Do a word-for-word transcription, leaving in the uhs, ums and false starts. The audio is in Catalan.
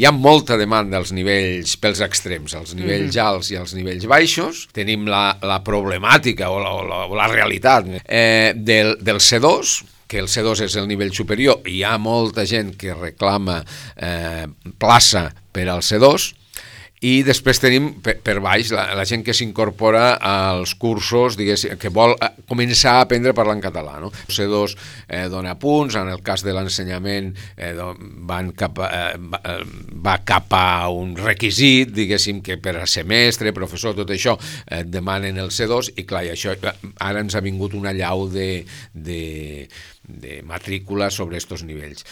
Hi ha molta demanda als nivells, pels extrems, als nivells mm. alts i als nivells baixos. Tenim la, la problemàtica o la, o la, o la realitat eh, del, del C dos, que el C dos és el nivell superior, i hi ha molta gent que reclama eh, plaça per al C dos, i després tenim per, per baix la, la gent que s'incorpora als cursos, diguéssim, que vol començar a aprendre a parlar en català, no? El C dos eh, dona punts, en el cas de l'ensenyament eh, van cap a, eh, va cap a un requisit, diguéssim, que per a semestre, professor, tot això, eh, demanen el C dos, i clar, i això ara ens ha vingut una llau de, de, de matrícula sobre aquests nivells.